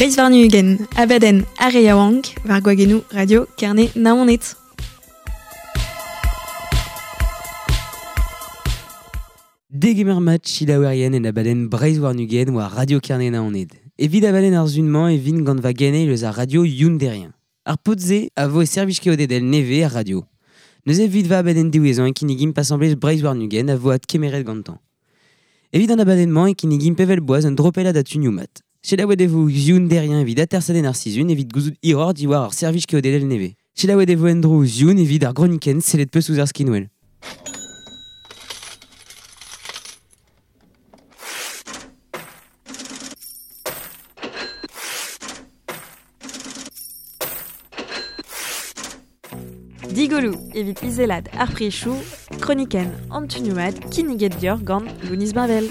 Breizh warn-ugent, abadenn ar re yaouank, war gwagennoù Radio Kerne Naoned. Degemer mat selaouerien en abadenn Breizh warn-ugent war Radio Kerne Naoned. Evit abadenn ar sun-mañ e vin gant va geneil eus ar radio Youn Derrien. Ar paotr-se a vo e servij keodedel nevez ar radio. Neuze evit va abadenn diwezhañ e kinnigimp asambles Breizh warn-ugent a vo adkemeret gantañ. Evit an abadenn-mañ e kinnigimp evel boaz un dropellad a tunioù mat. Selaouet e vo Youn Derrien evit atersadenn ar sizhun evit gouzout hiroc'h diwar ar servij keodedel nevez. Selaouet e vo en-dro ouzh Youn evit ar gronikenn sellet peus ouzh ar skinwel. Digoloù evit izelad ar prichoù, kronikenn an tunioù mat kinniget deoc'h gant Lounis Bavel.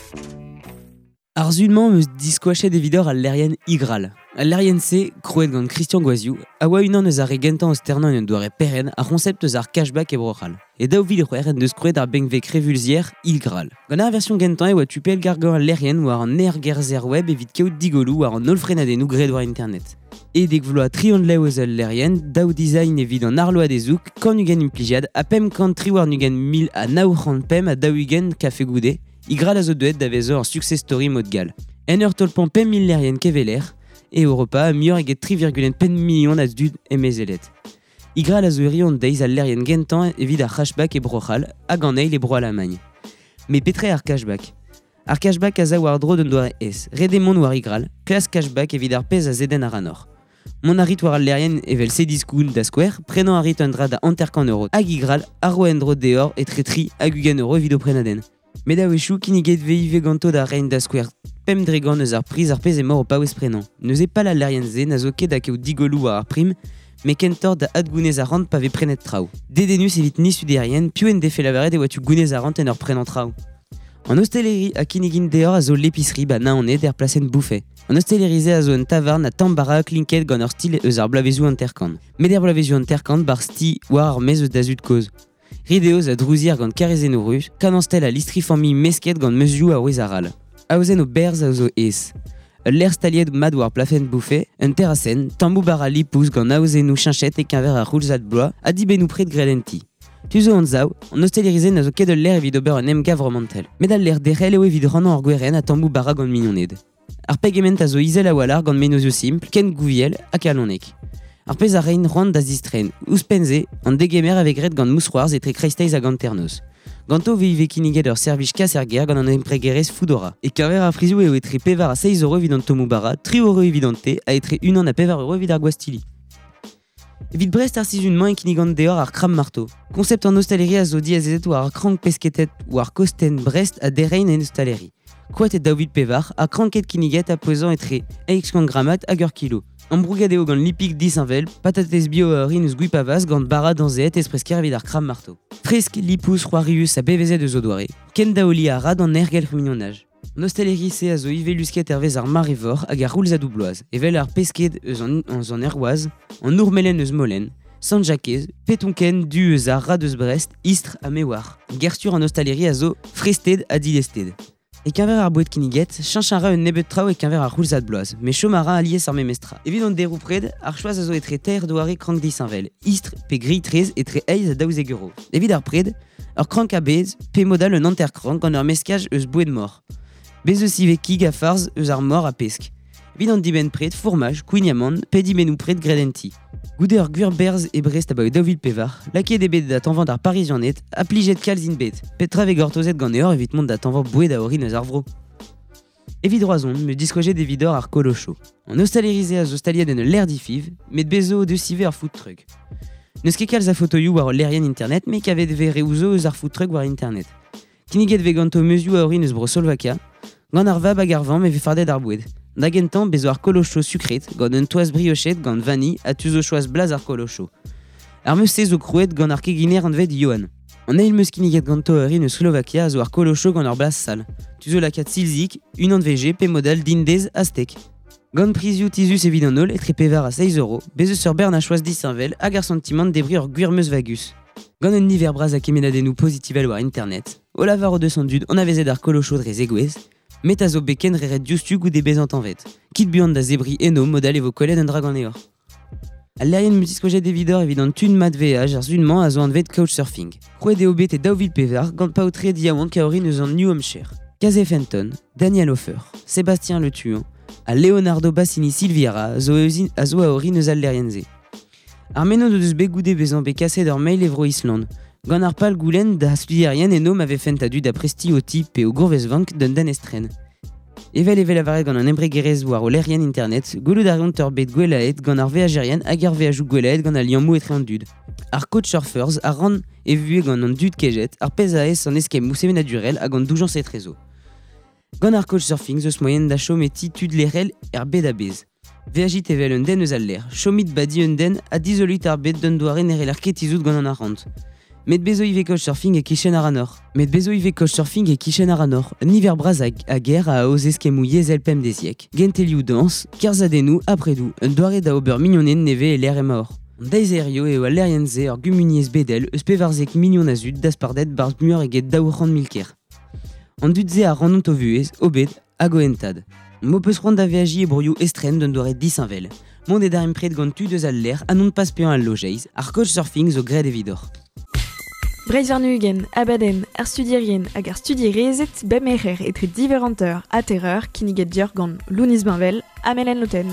Ar sun-mañ 'm eus diskoachet evidoc'h al lec'hienn Igral. Al lec'hienn-se, krouet gant Christian Goaziou, a oa unan eus ar re gentañ o sternañ en un doare perc'henn ar c'honsept eus ar cashback e Bro-C'hall. E 2006 en deus krouet ar benveg revulzier Ilgral. Gant ar version gentañ e oa tu pellgargañ al lec'hienn war an aergerzher web evit kaout digolloù war an holl frenadennoù graet war internet. E dek vloaz 30 lev eus al lec'hienn, daou design evit an arload hezoug, 120 implijiad ha 528 945 kafe goude, Igral a zo deuet da vezañ ur success story mod gall. En ur tolpañ 5 000 lec'hienn keveler, e Europa ha muioc'h eget 3,5 million a dud emezelet. Igral a zo hiziv an deiz al lec'hienn gentañ evit ar cashback e Bro-C'hall hag an eil e Bro-Alamagn. Met petra eo ar cashback? Ar cashback a za war-dro d'un doare aes. Ret eo mont war Igral, klask cashback evit ar pezh a zedenn ac'hanoc'h. Mont a rit war al lec'hienn evel Cdiscount da skouer, prenañ a rit un dra da 50 € hag Igral a ro en-dro deoc'h etre 3 hag 20 € evit ho prenadenn. Met a-wechoù kinniget vez ivez ganto da reiñ da skouer 5% eus ar priz ar pezh emaoc'h o paouez prenañ. Neuze pal al lec'hienn-se na zo ket da kaout digolloù war ar prim, met kentoc'h da adgounez arc'hant pa vez prenet traoù. Dedennus evit ni studerien, piv en defe lavaret e oa tu gounez arc'hant en ur prenañ traoù. An osteleri a kinnigin deoc'h a zo l'épicerie ba Naoned er plasenn Bouffay. An osteleri-se a zo un tavarn ha tamm bara klinket gant ur stil eus ar bloavezioù 50. Met er bloavezioù 50 bar sti war ar maez eus da zud-kozh. Rideoz a drouzier gant karrezennoù ruz, kanañstel ha listri familh mesket gant meuzioù a wezh arall. Aozenn o berzh a zo aes. Ul lec'h staliet mat war plafen Bouffay, un terrasenn, tammoù bara lipous gant aozennoù cheñchet e-keñver ar c'houlzad bloaz ha dibennoù pred graet en ti. Tu zo anzav, an osteleri-se na zo ket ul lec'h evit ober un emgav romantel. Met al lec'h derc'hel eo evit rannañ ar gwerenn ha tammoù bara gant mignoned. Ar pegement a zo izel a-walc'h gant mennozioù simpl, ken gouviel ha kalonek. Ar pezh a rein c'hoant da zistren. Ouzhpenn-se, an degemer a vez graet gant mousc'hoarzh etre kreisteiz hag hanternoz. Ganto vez ivez kinniget ur servij kas er gêr gant an embregerezh Foodora. E-keñver ar prizioù eo etre 4 ha 6 euro evit an tommoù bara, 3 euro evit an te ha etre 1 ha 4 euro evit ar gwastilli. Evit Brest ar sizhun-mañ e kinnigan deoc'h ar Crabe Marteau. Konsept an ostaleri a zo diazezet war ar krank pesketet war kostenn Brest ha derein en ostaleri. Krouet e 2004 ha kranket kinniget ha pouezañ etre 800 grammat hag ur kilo. Ambrouget eo gant lipig disheñvel, patatez bio a orin eus Gwipavaz gant bara danzeet espresker evit ar Crabe Marteau. Fresk, lipous, c'hoarius ha bevezet eus o doare, ken daoli a ra d'an aergelc'h mignonaj. An osteleri-se a zo ivez lusket hervez ar mare-vor hag ar c'houlzadoù bloaz, evel ar pesked eus an, eus an Erwaz, an ourmelen eus Molen, Sant-Jakez, petonken du eus ar rad eus Brest, Istr ha Mewar. Gerstur an ostaleri a zo frested ha dilested. E-keñver ar boued kinniget, cheñch a ra un nebeud traoù e-keñver ar c'houlzad bloaz, met chom a ra alies ar memes tra. Evit an deroù-pred, ar choaz a zo etre teir doare krank disheñvel, istr pe grilh-traezh etre 8 ha 12 euro. Evit ar pred, ur krank a-bezh pe mod all un hanter-krank gant ur meskaj eus boued mor. Bez eus ivez kig ha farz eus ar mor ha pesk. Evit an dibenn-pred, fourmaj, kouign-amann pe dibennoù-pred graet en ti. Goude ur gwir berzh e Brest abaoe 2004, lakaet eo bet da tañvañ d'ar Parizianed ha plijet kalz int bet. Petra vez gortozet ganeoc'h evit mont da tañvañ boued a orin eus ar vro? Evit Roazhon, me diskoachet evidoc'h ar Kolocho. An ostaleri-se a zo staliet en ul lec'h difiv, met bez zo deus ivez ur food truck. N'eus ket kalz a fotoioù war ul lec'hienn internet, met kavet vez reoù zo eus ar food truck war internet. Kinniget vez ganto meuzioù a orin eus Bro-Slovakia, gant ar vab hag ar vamm e vez fardet ar boued. Da gentañ, bez zo ar kolocho sukret, gant un toaz briochet gant vanilh ha tu zo choaz blaz ar kolocho. Ar meuz-se zo krouet gant ar keginer anvet Johan. An eil meuz kinniget ganto a orin eus Slovakia a zo ar kolocho gant ur blaz sall. Tu zo lakaat silzig, unan VG pe model dindez ha steak. Gant prizioù tizhus evit an holl etre 4 ha 6 euro, bez eus ur bern a choaz disheñvel hag ar santimant debriñ ur gwir meuz vagus. Gant un niver bras a kemennadennoù pozitivel war internet, o lavar o deus an dud anavezet ar kolocho dre zegouezh, Met a zo beken reret diouzhtu goude bezañ tañvet. Kit buan da zebri eno modal e vo kollet un dra ganeoc'h. Al lec'hienn multiskojet evidoc'h evit an tun mat veaj ar sun-mañ a zo anvet Couchsurfing. Krouet eo bet e 2004 gant paotred yaouank a orin eus an New Hampshire. Casey Fenton, Daniel Hofer, Sébastien Le Tuan ha Leonardo Bassini Silviera a zo a zo a orin eus al lec'hienn-se. Ar mennozh o deus bet goude bezañ bet kaset ur mail e Bro-Island. Gant ar pal goulenn da studierien eno ma vefent a-du da prestiñ o ti pe o gourvezvank d'un den estren. Evel e vez lavaret gant an embregerezh war o lec'hienn internet, gwelout a reont ur bed gwellaet gant ar veajerien hag ar veajoù gwellaet gant al liammoù etre an dud. Ar Couchsurfers a rann e vuhez gant an dud kejet, ar pezh a aes an eskemmoù sevenadurel hag an doujañs etrezo. Gant ar couchsurfing zo eus moaien da chom e ti tud lec'hel er bed a-bezh. Veajit evel un den eus al lec'h, chomit badi un den ha dizoloit ar bed d'un doare ne c'heller ket tizhout gant an arc'hant. Met bezo ivez couchsurfing e-kichen ar anor. Met bezo ivez couchsurfing e-kichen ar anor. Un niver bras a, a ger a aoz eskemmoù yezhel pemdeziek. Gentelioù dañs, kerzhadennoù, apredoù, un doare da ober mignoned nevez e lec'h emaoc'h. An deiz hiziv eo al lec'hienn-se ur gumuniezh bedel eus 14 million a zud daspardet 'barzh muioc'h eget 200 000 kêr. An dud-se a rannont o vuhez, o bed hag o hentad. M'ho peus c'hoant da veajiñ e broioù estren d'un doare disheñvel. Mont e darempred gant tud eus al lec'h ha non pas paeañ al lojeiz, ar couchsurfing zo graet evidoc'h. Breizh warn-ugent, abadenn, ar studierien hag ar studierezed bep merc'her etre div eur hanter ha teir eur kinniget deoc'h gant Lounis Bainvel ha Melen Loten.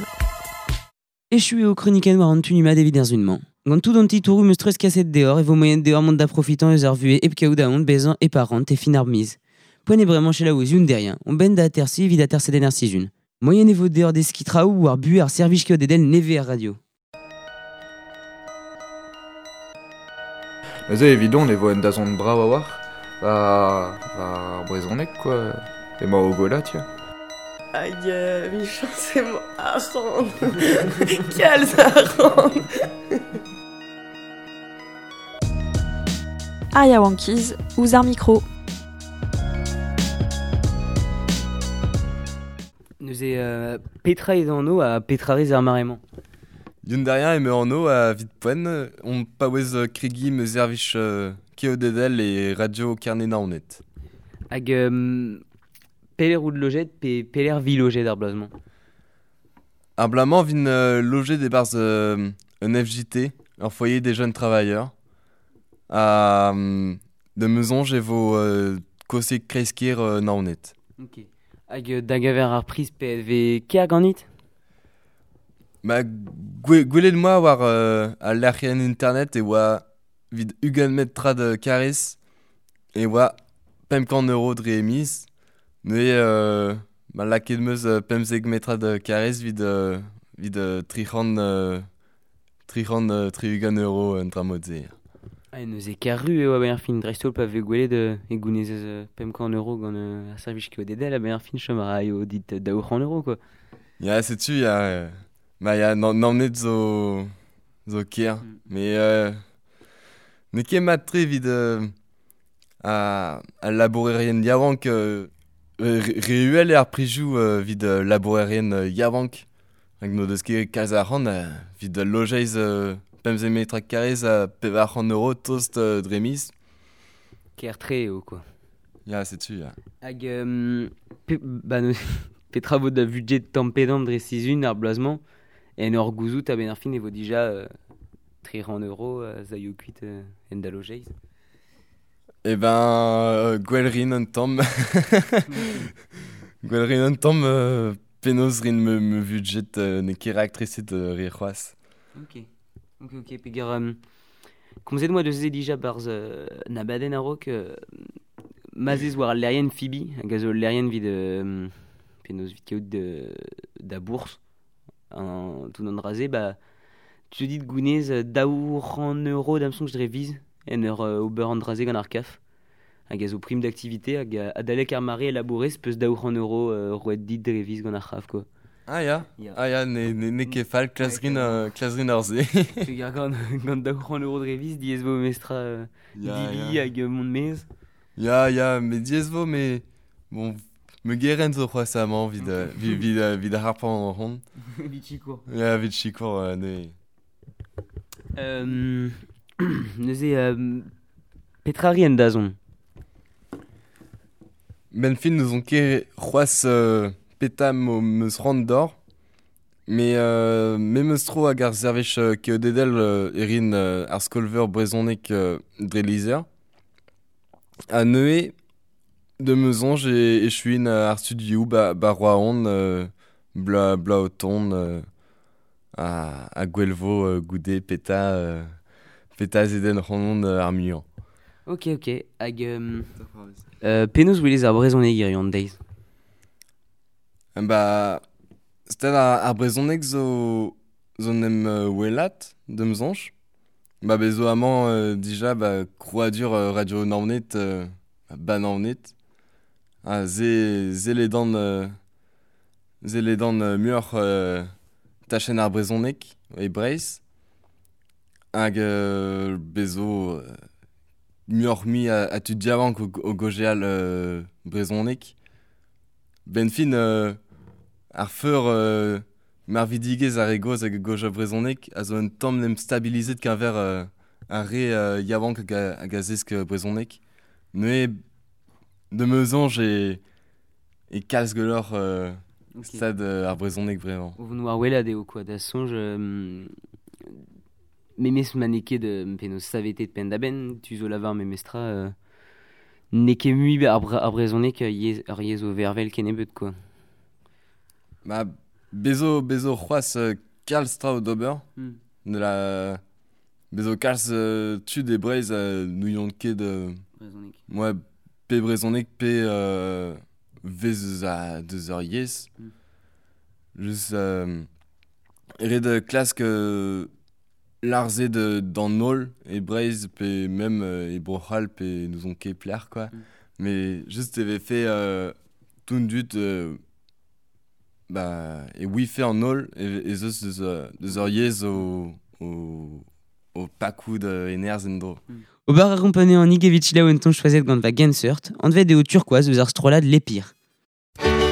Echu eo kronikenn war an tu mat evit ar sun-mañ. Gant tout an titouroù 'm eus treuzkaset deoc'h e vo moaien deoc'h mont da profitañ eus ar vuhez hep kaout aon bezañ e-parent e fin ar miz. Poent eo bremañ selaou eus Yun-Derrien, on benn da atersiñ evit atersedenn ar sizhun. Moaien e vo deoc'h deskiñ traoù war buhez ar servij keodedel nevez er radio. Neuze evidon e vo un dazont brav a-walc'h war ar brezhoneg quoi. Emañ o gwellañ tiens. Hag 'michañs emañ arc'hant. Kalz arc'hant. Ar yaouankiz ouzh ar mikro. Neuze petra eo anv ha petra rez ar mare-mañ? Yun-Derrien emañ anv a evit poent on paouez kregiñ ma servij keodedel e Radio Kerne-Naoned. Hag pelec'h out lojet pe pelec'h vi lojet ar bloaz-mañ? Ar bloaz-mañ vin lojet e-barzh un FJT, ur foyer des jeunes travailleurs. Ha da ma soñj e vo kosek kreiz-kêr Naoned. Ok. Hag da geñver ar priz pe vez ker ganit? Ma gwelet 'moa war al lec'hienn internet e oa evit 20 metrad karrez e oa 500 euro dre miz. Neuze ma lakaet 'm eus 15 metrad karrez evit evit 360 euro un dra mod-se. Ah, neuze ker-ru eo a-benn ar fin, dreist-holl pa vez gwelet e gounezez 500 euro gant ar servij keodedel a-benn ar fin chom a raio dit 200 euro quoi. Ya, setu ya, ma ya Naoned zo zo ker. Mais n'eo ket mat-tre evit al labourerien yaouank re uhel eo ar prizioù evit labourerien yaouank. Hag n'o deus ket kalz arc'hant evit lojeiz 15 metrad karrez ha 400 euro tost dre miz. Ker-tre eo quoi. Ya, setu ya. Hag pe, ba neuze, petra vo da vudjet tamm-pe-damm dre sizhun ar bloaz-mañ en ur gouzout a-benn ar fin e vo dija 300 euro zaio kuit en da lojeiz. Eh ben, gwell rin un tamm. Gwell rin un tamm penaos rin ma vudjet n'eo ket raktreset re c'hoazh. Ok. Ok, ok, peger komzet 'moa deus se dija 'barzh an abadenn a-raok ma'z ez war al lec'hienn Fibi hag a zo ul lec'hienn evit penaos evit kaout da bourzh an tout an dra-se ba tu te dit gounez 200 euro da'm soñj dre viz en ur ober an dra-se gant ar CAF hag a zo prim d'activité hag adalek ar mare e labourez peus 200 euro roet dit dre viz gant ar CAF quoi. Ah ya, Ya. ah ya, n'eo ket fall klas rin klas rin ar se. Peger gant gant 200 euro dre viz diaes vo memestra Ya, dibi ya. hag mont maez. Ya, ya, met diaes vo, mais bon, me gerent zo c'hoazh amañ evit evit evit harpañ an hon. Evit sikour. Ya, evit sikour neuze. Neuze petra ri en dazont? Ben fin n'ouzon ket c'hoazh peta meus c'hoant d'or. Me me meus tro hag ar servij keodedel erin ar skolveur brezhoneg dre lizher. Ha neuze de meus soñj e echuin ar studioù ba Roazhon bla o tont a gwelvo goude peta zedenn c'hoant ar muiañ. Ok, ok. Hag penaos welez ar brezhoneg hiziv an deiz? Ba stad ar brezhoneg zo n'em welat da'm soñj. Ba bez zo amañ dija ba krouadur Radio Naoned ba Naoned. Ha ze ledan muioc'h tachenn ar brezhoneg e Breizh. Hag bez zo muioc'h mui a tud diavank o gojeal brezhoneg. Ben fin ar feur marvidigezh ar re gozh hag goja brezhoneg a zo un tamm n'em stabilizet keñver ar re yaouank hag a zesk brezhoneg. Neuze de meus soñj e kalz gwelloc'h stad ar brezhoneg bremañ. O vont war welat eo quoi, da soñj memes ma n'eo ket penaos savetet penn-da-benn, tu zo lavar memestra n'eo ket mui ar brezhoneg ur yezh o vervel kennebeut quoi. Ba bezo c'hoazh kalz traoù d'ober. De la bezo kalz tud e Breizh n'ouiont ket brezhoneg. Ouais, pe brezhoneg pe vez a deus ur yezh. Just ret klask larzet d'an holl e Breizh pe même e Bro-C'hall pe n'ouzon ket plec'h quoi. Mais just e vefe tout dud ba e wife an holl ez eus deus ur yezh o pakout enerzh en-dro. Ober a rompane an evit selaou un ton choazet gant va genseurt, anvet eo turquoise eus ar strollad L'Épir. Thank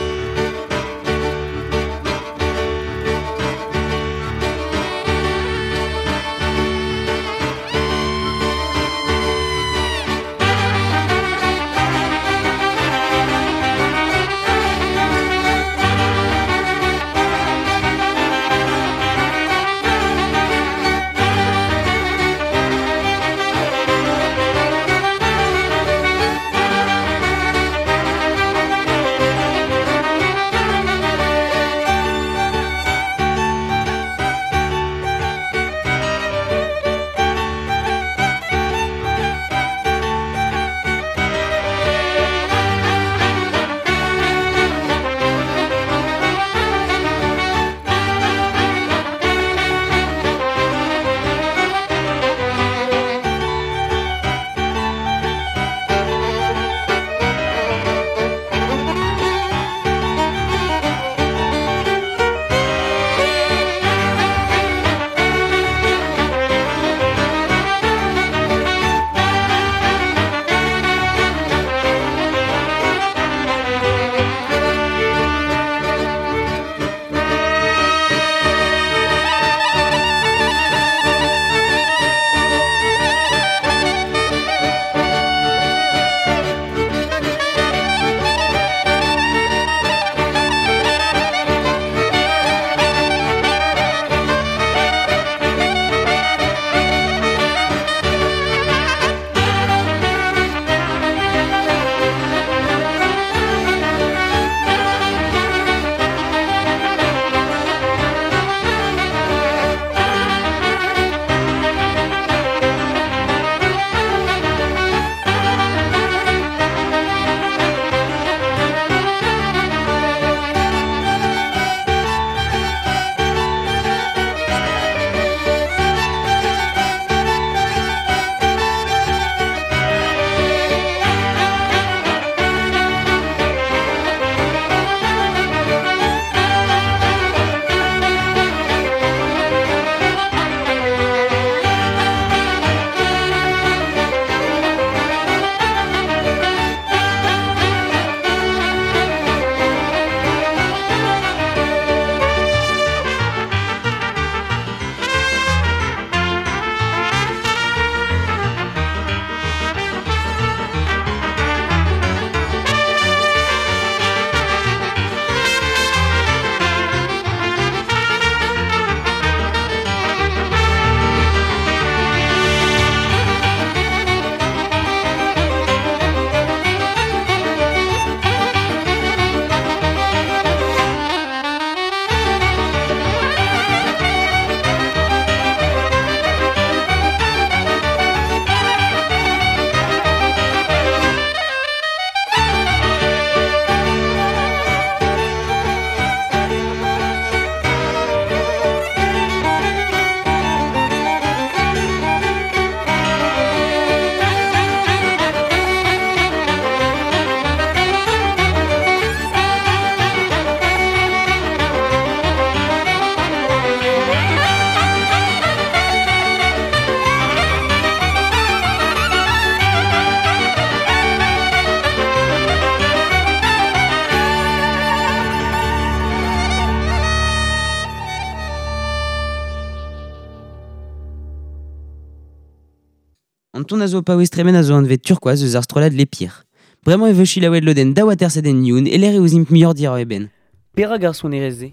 An ton a zo paouez tremen a zo anvet turquoise eus ar strollad les pires. Bremañ e vo chilaouet lodenn daou atersadenn Youn e lec'h e ouzimp muioc'h dir e ben. Perak ar sonerezh-se?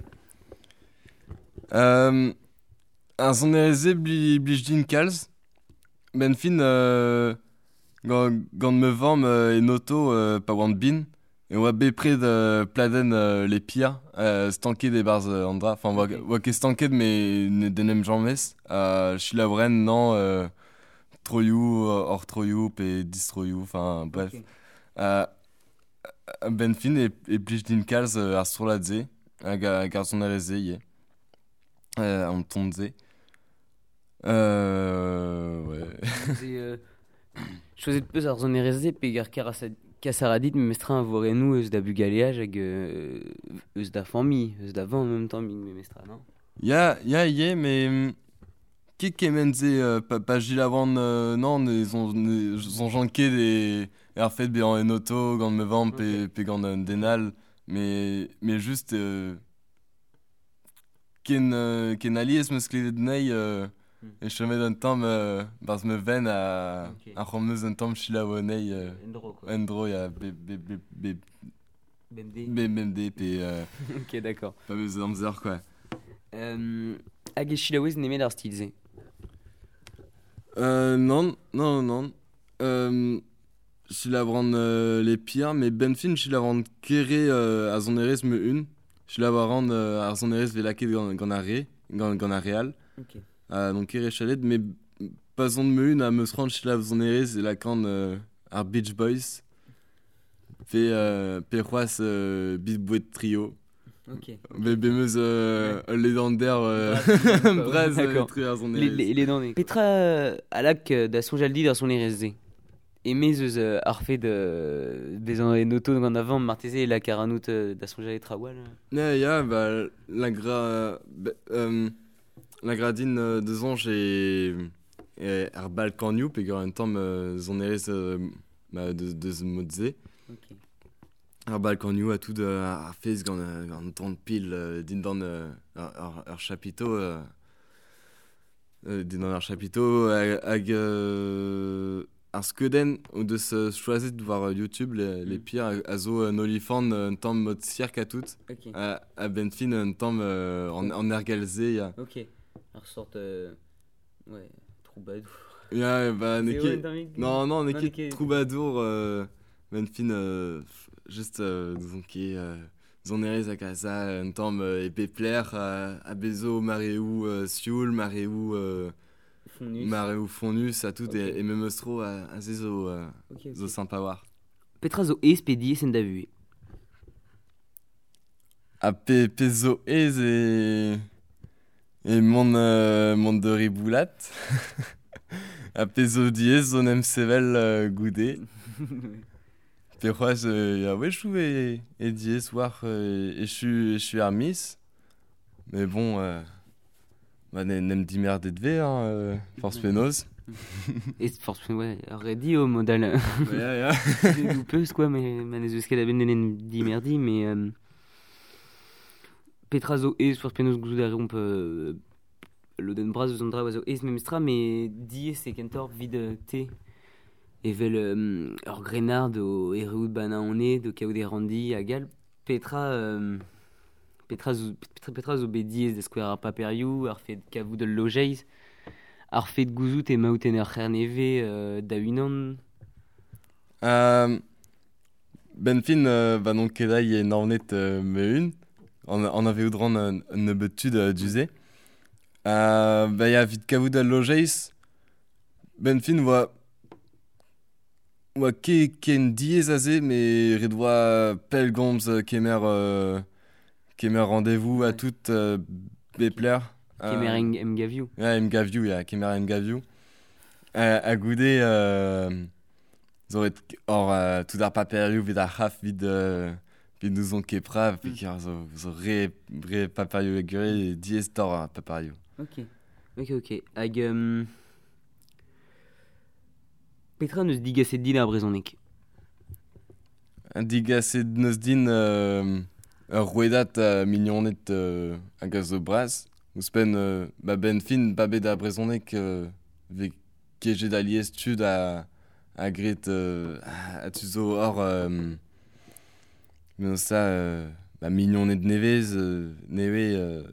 Ar sonerezh-se blij din kalz. Ben fin gant ma vamm en oto pa oan bin e oa bepred pladenn les pires stanket e-barzh an dra. Enfin, oa ket stanket mais ne den em james. Chilaouren non troioù, hors troioù pe distroioù, enfin bref. Ok. Ben fin e blij din kalz ar strollad-se hag ar sonerezh-se ivez. An ton-se. Ouais. C'est choiset peus ar sonerezh-se pe gar kasaradit memestra a vorennoù eus da bugaleaj hag eus da familh, eus da vamm en même temps memestra, non? Ya, ya, ivez, mais ket kement-se pa jilavan non, ne soñjan ket e ar fet bezañ en oto gant ma vamm pe gant un den all, mais juste ken alies 'm eus klevet anezhi e chomet un tamm barzh ma venn a c'hoant 'm eus un tamm selaou anezhi En-dro quoi. En-dro ya be BMD. BMD pe Ok, d'accord. Pa vez amzer quoi. Hag e selaouez nemet ar stil-se? Non, non, non. Selaouan les pires, mais ben fin selaouan kere ar sonerezh ma un. Selaouan ar sonerezh vez lakaet gant ar re, gant ar re all. Ok. Donc kere chalet, mais pa zon ma un a meus c'hoant selaou sonerezh e lakaan ar Beach Boys. Pe c'hoazh Beat Boy Trio. Ok. Be meus ul ledander braz tre ar sonerezh. Ledander. Petra a lak da soñjal dit ar sonerezh-se? Emez eus ar fet bezañ en oto gant a vamm marteze e lak ar anout da soñjal e traoù all. Ya, ya, ba, la gra, la gradin de soñj e ar Balkanioù pe gant un tamm sonerezh ba, deus mod-se. Ok. Ar Balkanioù a tout ar fez gant gant pil dindan ar chapiteau dindan ar chapiteau hag ar skeudenn o deus choazet war YouTube les pires a zo un olifant un tamm mod cirque a tout. Ok. A ben fin un tamm en ergelze ya. Ok. Ar sort ouais, troubadour. Ya, ba n'eo C'est ket ouais, non non n'eo non, ket troubadour ben fin juste disons ket sonerezh hag a za un tamm e pepler a bezo mareoù sioul, mareoù Fonnus. Mareoù fonnus a tout Ok. e memes tro a se zo Ok, ok. zo sympa war. Petra zo aes pe diaes en da vuhez? A pe zo aes e mont de riboulat. A pe zo diaes zo n'em sevel goude. Pe c'hoazh ya wechoù e diaes war echu ar miz. Mais bon ba n'em dimerdet ve hein, force penaos. Et force ouais, redi au modal. Ya, ya. Doupeus quoi, mais ma n'eus ket a ben n'en dimerdi, mais Petra zo aes force penaos gouzout a reomp lodenn bras eus an dra zo aes memestra, mais diaes e kentoc'h vid te. Evel ur grennard o erruout bana on do kaout e randi hag all. Petra zo bet diaes da skouer ar paperioù, ar fet kavout ul lojeiz, ar fet gouzout e maout en ur c'herneve da unan. Ben fin ba non ket ai e naoned me un, an ave oudran un nebeut tud duze. Ba ya vit kavout al lojeiz, ben fin oa ket ken diaes aze, mais ret oa pellgomz kemer rendez-vous a tout bepler. Kemer emgavioù. Ya, emgavioù, ya, kemer emgavioù. A goude zo ret or tout ar paperioù vid ar c'haf vid n'ouzon ket pra, pe kar zo re paperioù e gure, diaes tor ar paperioù. Ok, ok, ok. Hag Petra neus digaset din ar brezhoneg? Digaset neus din ur rouedad mignoned hag a zo bras. Ouzhpenn ba ben fin ba bet ar brezhoneg ve kejet alies tud a gret a tu zo hor ça ba mignoned nevez neve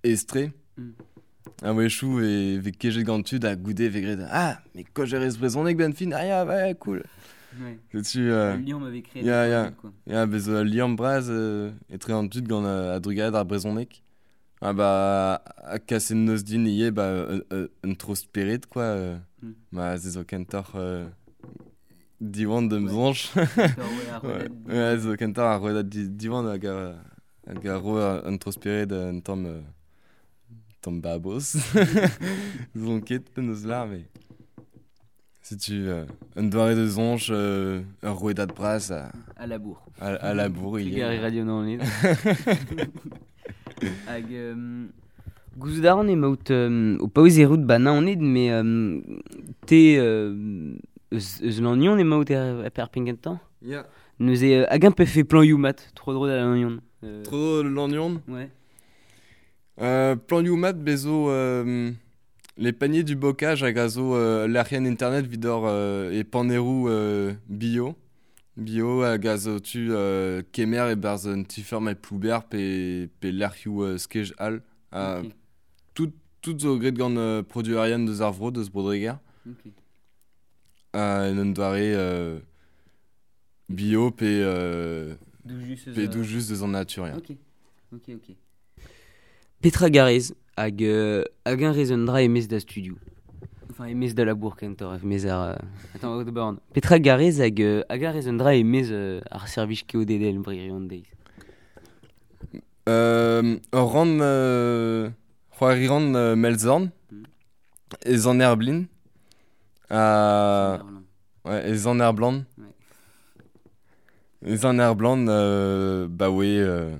estre. A wechou e ve kejet gant tud a goude ve gret ah mais kojerez brezhoneg ben fin ah ya ouais cool. Ouais. Tu liamm avait créé ya ya ya bez liamm braz etre an tud gant a drugad ar brezhoneg. Ah bah a kaset neus din ivez ba un tro spered quoi. Ma ze zo kentoc'h Diwan de mzonch. Ouais, zo kentoc'h ar rouedad Diwan hag a ro un tro spered un tamm tamm babos. Zon ket penaos lar mais setu un doare de zonch ur rouedad bras a labour. A labour ivez. Trugarez Radio Naoned. Hag gouzout a ran emaout o paouez errout ba Naoned mais te eus Lannion emaout er pengentañ? Ya. Neuze hag un pefe plan mat tro dro da Lannion. Tro dro Lannion? Ouais. Plan mat bezo les paniers du bocage hag a zo lec'hienn internet vidor e panerou bio. Bio hag a zo tu kemer e barz un tifer ma plouber pe lec'hioù skej all. Okay. Tout zo gret gant produit arian deus ar vro, deus Brodreger. Okay. En un doare bio pe doujus deus an natur. Ya. Ok, ok, ok. Petra garez hag un rezon dra emez da studio. Enfin, emez da labour kentoc'h, emez ar... Attends, d'abord. Petra garez hag un rezon dra emez ar servij keodedel bririon deiz. Ur ran c'hoari ran Melzorn, ez an Erblin. Ouais, ez an Erblan. Ez an Erblan, ba oe...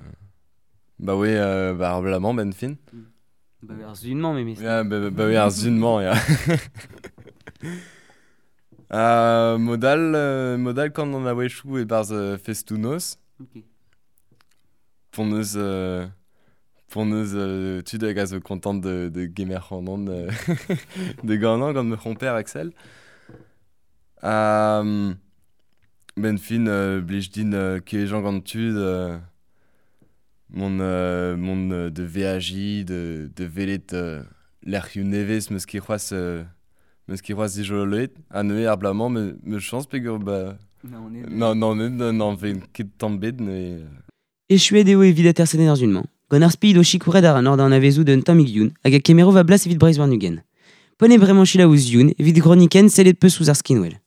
Ba oe, ba ar blamañ ben fin. Ba oe ar zunmañ memes. Ya, ba oe ar zunmañ, ya. Modal kant an a-wechou e barz festoù-noz. Ok. Pon eus tud hag a zo kontant de gemer c'hanon de ganañ gant me c'homper Axel. Ben fin blij din kejañ gant tud mon de VAJ de velet lec'hioù nevez meus ket c'hoazh dijoloet ha neuze ar blamañ me chañs peogwir ba non non ven ket tamm bet neuze. Echuet eo evit atersadenn ar zun-mañ. Gant ar speed o sikouret ar an ord an avezou d'un tammig youn hag a kemero va blas evit Breizh warn-ugent. Pone bremañ selaou ouzh youn evit groniken sellet peus ouzh ar skinwel.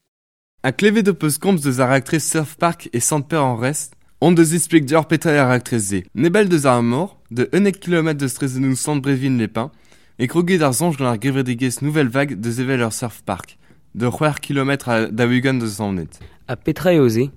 A klevet o peus komz deus ar raktres Surf Park e Sant-Pêr-en-Rest, on deus explique deoc'h petra ar raktres-se. Nebel deus ar mor, de 11 km de strezenoù Sant-Brevin-les-Pins, e kroget ar soñj gant ar gevredigezh Nouvelle Vague deus evel ur Surf Park, de 6 km da ugent deus Naoned. Ha petra eo se?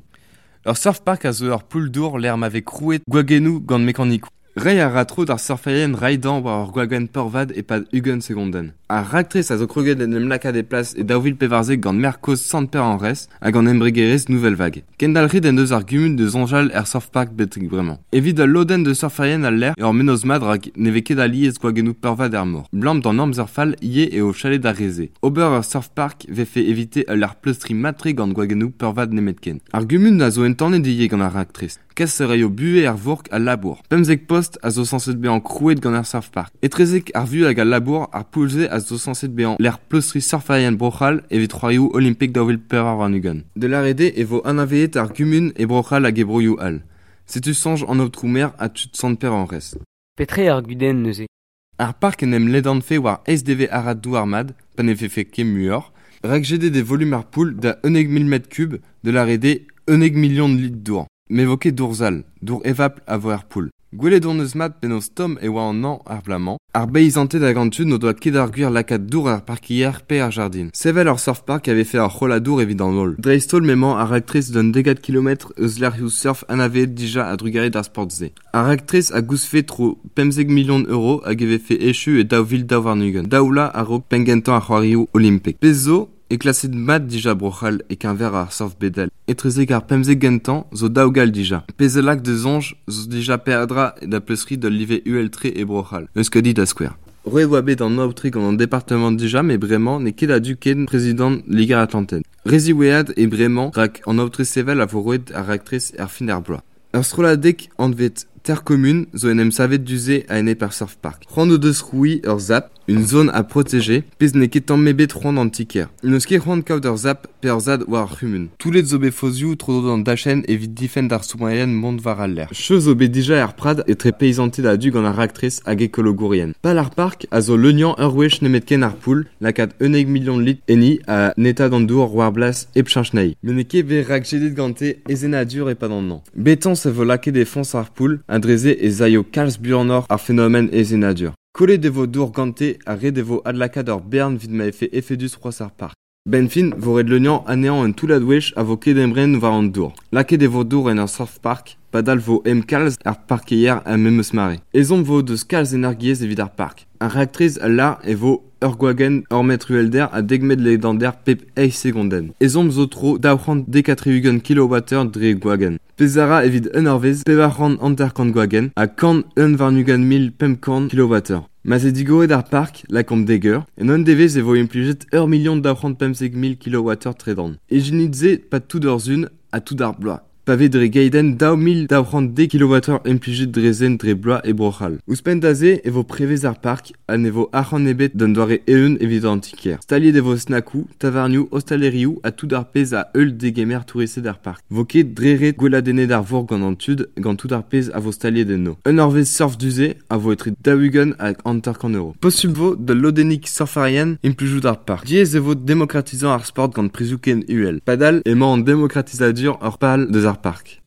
Ur surf park a zo ur poull-dour lec'h ma vez krouet gwagennoù gant mekanikoù. Reiñ a ra tro d'ar surferien raidañ war ur gwagenn peurvad e-pad 20 segondenn. Ar raktres a zo kroget en em lakaat e plas e 2014 gant merkoz Sant-Pêr-en-Rest hag an embregerezh Nouvelle Vague. Kendalc'het en deus ar gumun de soñjal er surf park betek bremañ. Evit al lodenn de surferien al lec'h ur mennozh mat rak ne vez ket alies gwagennoù peurvad er mor. Blam d'an amzer fall ivez eo chalet d'ar re-se. Ober ur surf park vefe evite ul lec'h pleustriñ mat-tre gant gwagennoù peurvad nemetken. Ar gumun a zo entanet ivez gant ar raktres. Kas a raio buhez ar vourk al labour. 15 post a zo sañset bezañ krouet gant ar surf park. Etrezek ar vu hag al labour ar poull-se a zo sañset bezañ lec'h pleustriñ surferien Bro-C'hall evit c'hoarioù olimpek 2024. De l'ARD e vo anavezet ar gumun e Bro-C'hall hag e broioù all. Setu soñj an aotrou-maer ha tud Sant-Pêr-en-Rest. Petra ar gudenn neuze? Ar park en em ledanfe war SDV arad douar-mat, pa ne vefe ket muioc'h, rak jedet e volume ar poull da 11 000 m3 de l'ARD 11 million de litres dour. Me vo ket dour sall, dour evapl a vo er poull. Gwelet hon eus mat penaos tomm e oa an hañv ar blamañ, ar beizanted hag an tud n'o doa ket ar gwir lakaat dour ar parkier pe ar jardin. Sevel ur surf park avait fait ur c'holladour evit an holl. Dreist-holl m'emañ ar raktres d'un degad kilometr eus lec'hioù surf anavezet dija a-drugarez d'ar sport-se. Ar raktres a goustfe tro 15 million euro hag e vefe echu e 2022. Daoula a-raok pengentañ ar c'hoarioù olimpek. Pezh zo e klaset mat dija Bro-C'hall e keñver ar surf bedel. Etrezek ar 15 gentañ zo daou gall dija. Pezh a lak da soñj zo dija peadra da pleustriñ d'ul live uhel-tre e Bro-C'hall. Euskadi da skouer. Roet oa bet an aotre gant an departamant dija met bremañ n'eo ket a-du ken prezidant Liger-Atlantel. Re ziwezhat eo bremañ rak an aotre sevel a vo roet ar raktres er fin ar bloaz. Ur strolladig anvet Terre Commune zo en em savet du-se a-enep ar surf park. C'hoant o deus krouiñ ur ZAP, une zone à protéger, pezh n'eo ket tamm ebet c'hoant an ti-kêr. N'eus ket c'hoant kaout ur ZAP pe ur ZAD war ar c'humun. Toullet zo bet fozioù tro-dro d'an dachenn evit difenn d'ar stourmerien mont war al lec'h. Cheu zo bet dija er prad etre peizanted a-du gant ar raktres hag ekologourien. Pal ar park a zo leuniañ ur wech nemetken ar poull, lakaat 11 milion litr enni ha netaat an dour war blas hep cheñch anezhi. Met n'eo ket bet rakjedet gante aezhennadur e-pad an hañv. Betañs e vo lakaet e foñs ar poull ha dre-se ez aio kalz buanoc'h ar fenomenn aezhennadur. Kollet e vo dour gante ha ret e vo adlakaat ur bern evit ma vefe efedus c'hoazh ar park. Benn fin vo ret leuniañ anezhañ un toullad wech a vo ket emren war an dour. Lakaet e vo dour en ur surf park, padal vo em kalz ar parkeier er memes mare. Ezhomm vo deus kalz energiezh evit ar park. Ar raktres a lâr e vo ur gwagenn ur metr uhelder ha dek metr ledander pep eizh segondenn. Ezhomm zo tro 270 kilowatteur dre gwagenn. Pezh a ra evit un eurvezh 450 gwagenn ha 121 500 kilowatteur. Ma 'z eo digoret ar park, lakaomp dek eur, en un devezh e vo implijet 1 215 000 kilowatteur tredan. Ijinit se 'pad tout ur sizhun ha tout ar bloaz. Pa vez dre geidenn 2210 kilowatteur implijet dre zen dre bloaz e Bro-C'hall. Ouzhpenn da se e vo prevez ar park ha ne vo arc'hant ebet d'un doare eeun evit an ti-kêr. Staliet e vo snakoù, tavarnioù, ostalerioù ha tout ar pezh a heul degemer touristed ar park. Vo ket dre ret gweladennet ar vourc'h gant an tud gant tout ar pezh a vo staliet enno. Un eurvezh surf du-se a vo etre 40 hag 50 euro. Posupl vo da lodennig surferien implijout ar park. Diaes e vo demokratizañ ar sport gant prizioù ken uhel. Padal emañ an demokratizadur ur pal deus ar park.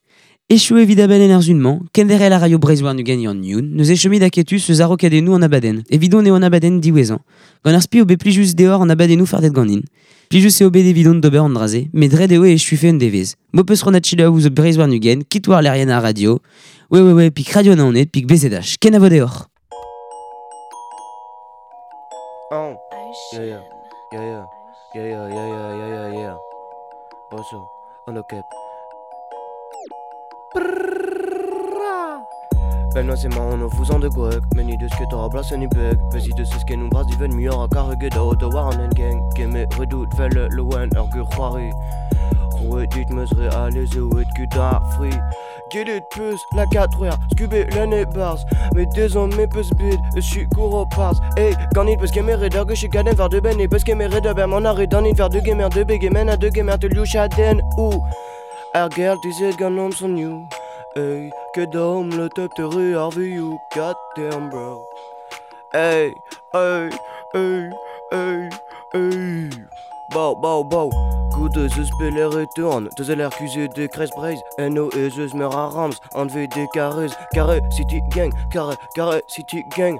Echu evit abadenn ar sizhun-mañ, kenderc'hel a raio Breizh warn-ugent Yann Youn, neuze chomit aketus eus a-raokadennoù an abadenn. Evidon eo an abadenn diwezhañ. Gant ar spi eo bet plijus deoc'h an abadennoù fardet ganin. Plijus eo bet evidon d'ober an dra-se, met ret eo e echufe un devezh. M'ho peus c'hoant selaou ouzh Breizh warn-ugent, kit war lec'hienn ar radio, www.radionaoned pik bzh. Kenavo deoc'h. Oh. Yeah. Bonjour, on cap. Ben c'est marrant, on vous en de gwek Meni deus ket a blas en beg Vezi deus eus ken bras diven muioc'h a karget a da war an gang Keme redout vel loen ur gur c'hoari Roet dit meus re alez eo et ket ar fri Gelet peus la 4 skube l'année barz Mais dezon me peus bet eus sikour o parz Hey, ganit peus kemeret ur gwech gaden var de ben E peus kemeret ur ber man ar danit var de gemer de begemen a de gemer te liou ou Ar gel dizet gant on son you Hey, ket dom le top te ru ar viou Goddamn bro Hey, hey, hey, hey, hey Bow, bow, bow Goude zeus beler e tean Deus el RQZ de Kreiz Breizh NO e zeus meur a Rams Anve de Carrez Carré City Gang Carré, Carré City Gang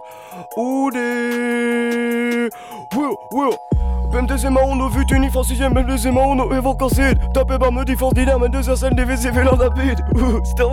Oudé Will, Will BMDZ on o vutuni francisienne BMDZ on o evokancet Tapé par me défense d'idée, mais deux heures scène des WC vélo rapide Ouh, c'est